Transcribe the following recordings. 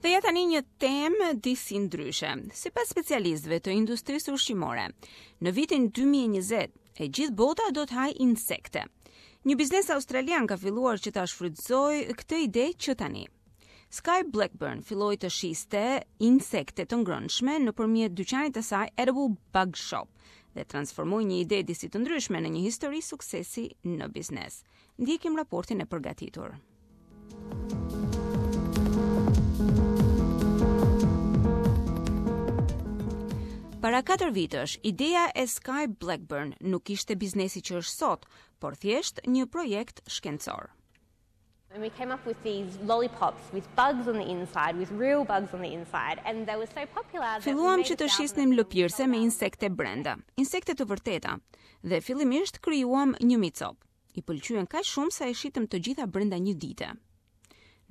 Dhe ja tani një temë disi ndryshe. Sipas specialistëve të industrisë ushqimore, në vitin 2020 e gjithë bota do të hajë insekte. Një biznes australian ka filluar që ta shfrytëzojë këtë ide që tani. Sky Blackburn filloi të shiste insekte të ngrënshme nëpërmjet dyqanit të saj Edible Bug Shop dhe transformoi një ide disi të ndryshme në një histori suksesi në biznes. Ndjekim raportin e përgatitur. Para 4 vitesh, ideja e Sky Blackburn nuk ishte biznesi që është sot, por thjesht një projekt shkencor. And we came up with these lollipops with bugs on the inside, with real bugs on the inside, and they were so popular that Filluam që të shisnim lëpirëse me insekte brenda, insekte të vërteta, dhe fillimisht krijuam 1000 copë. I pëlqyen kaq shumë sa i shitëm të gjitha brenda një dite.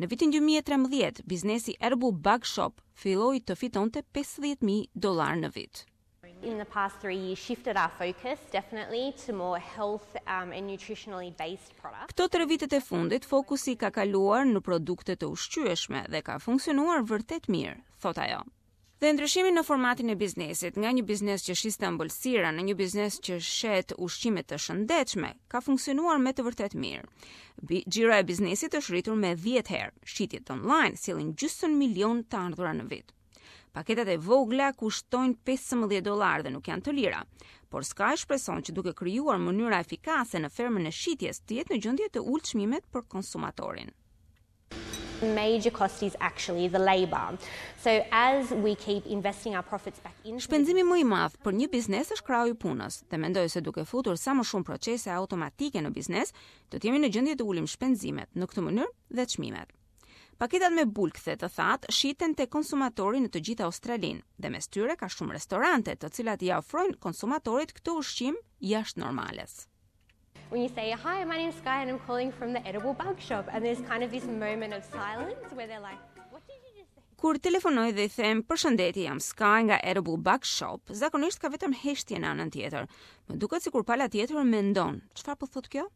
Në vitin 2013, biznesi Edible Bug Shop filloi të fitonte 50.000 dollar në vit. In the past 3 years shifted our focus definitely to more health um, and nutritionally based products. Këto tre vitet e fundit fokusi ka kaluar në produkte të ushqyeshme dhe ka funksionuar vërtet mirë, thot ajo. Dhe ndryshimi në formatin e biznesit, nga një biznes që shiste ëmbëlsira në një biznes që shet ushqime të shëndetshme, ka funksionuar me të vërtetë mirë. Xhiro e biznesit është rritur me 10 herë. Shitjet online sjellin gjysmë milion të ardhura në vit. Paketat e vogla kushtojnë 15 dollar dhe nuk janë të lira, por Sky shpreson që duke krijuar mënyra efikase në fermën e shitjes të jetë në gjendje të ulë çmimet për konsumatorin. Major cost is actually the labor. So as we keep investing our profits back into Shpenzimi më i madh për një biznes është krahu i punës dhe mendoj se duke futur sa më shumë procese automatike në biznes, do të jemi në gjendje të ulim shpenzimet në këtë mënyrë dhe çmimet. Paketat me bulkthe të thatë shiten te konsumatori në të gjithë Australinë dhe mes tyre ka shumë restorante të cilat i ofrojnë konsumatorit këtë ushqim jashtë normales. When you say, hi, my name's Sky and I'm calling from the Edible Bug Shop, and there's kind of this moment of silence where they're like, what did you just say? Kur telefonoj dhe i them përshëndetje, jam Sky nga Edible Bug Shop, zakonisht ka vetëm heshtje në anën tjetër. Më duket sikur pala tjetër mendon, çfarë po thot kjo?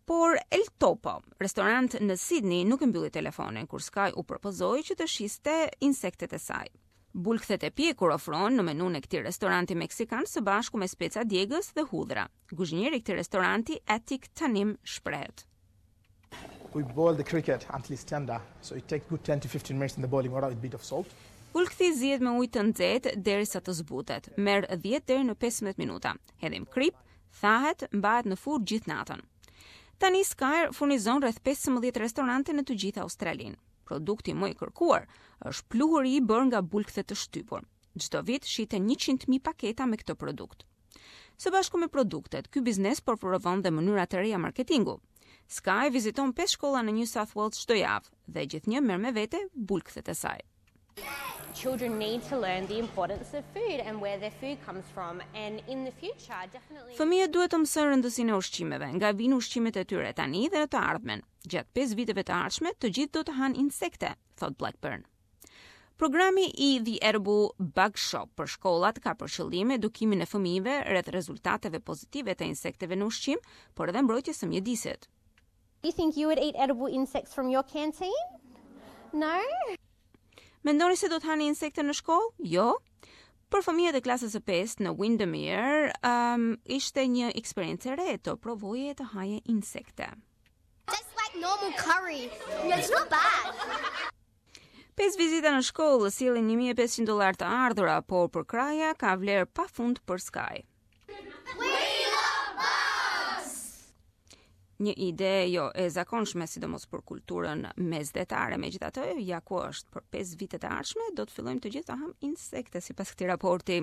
Por El Topo, restorant në Sydney, nuk e mbylli telefonin kur Sky u propozoi që të shiste insektet e saj. Bulkthet e pjekur ofrohen në menun e këtij restoranti meksikan së bashku me speca djegës dhe hudhra. Kuzhinieri i këtij restoranti Atik Tanim shprehet. We boil the cricket until it's tender, so it takes good 10 to 15 minutes in the boiling water with a bit of salt. Bulkthi zihet me ujë të nxehtë derisa të zbutet. Merr 10 deri në 15 minuta. Hedhim krip, thahet, mbahet në furrë gjithë natën. Tani Sky furnizon rreth 15 restorante në të gjithë Australinë. Produkti më i kërkuar është pluhuri i bërë nga bulkthe të shtypur. Çdo vit shiten 100.000 paketa me këtë produkt. Së bashku me produktet, ky biznes po provon dhe mënyra të reja marketingu. Sky viziton 5 shkolla në New South Wales çdo javë dhe gjithnjë merr me vete bulkthet e saj. Children need to learn the importance of food and where their food comes from and in the future definitely Fëmijët duhet të mësojnë rëndësinë e ushqimeve, nga vijnë ushqimet e tyre tani dhe në të ardhmen. Gjatë 5 viteve të ardhshme, të gjithë do të hanë insekte, thot Blackburn. Programi i The Edible Bug Shop për shkollat ka për qëllim edukimin e fëmijëve rreth rezultateve pozitive të insekteve në ushqim, por edhe mbrojtjes së mjedisit. Do you think you would eat edible insects from your canteen? No? Mendoni se do të hani insekte në shkollë? Jo. Për fëmijët e klasës së 5 në Windermere, um, ishte një eksperiencë e re të provoje të haje insekte. Just like normal curry. It's not bad. Pesë vizita në shkollë sjellin 1500 dollar të ardhura, por përkrahja ka vlerë pafund për Sky. We love bugs! Një ide jo e zakonshme, sidomos për kulturën mesdhetare, megjithatë, ja ku është për 5 vitet e ardhshme do të fillojmë të gjithë të ham insekte sipas këtij raporti.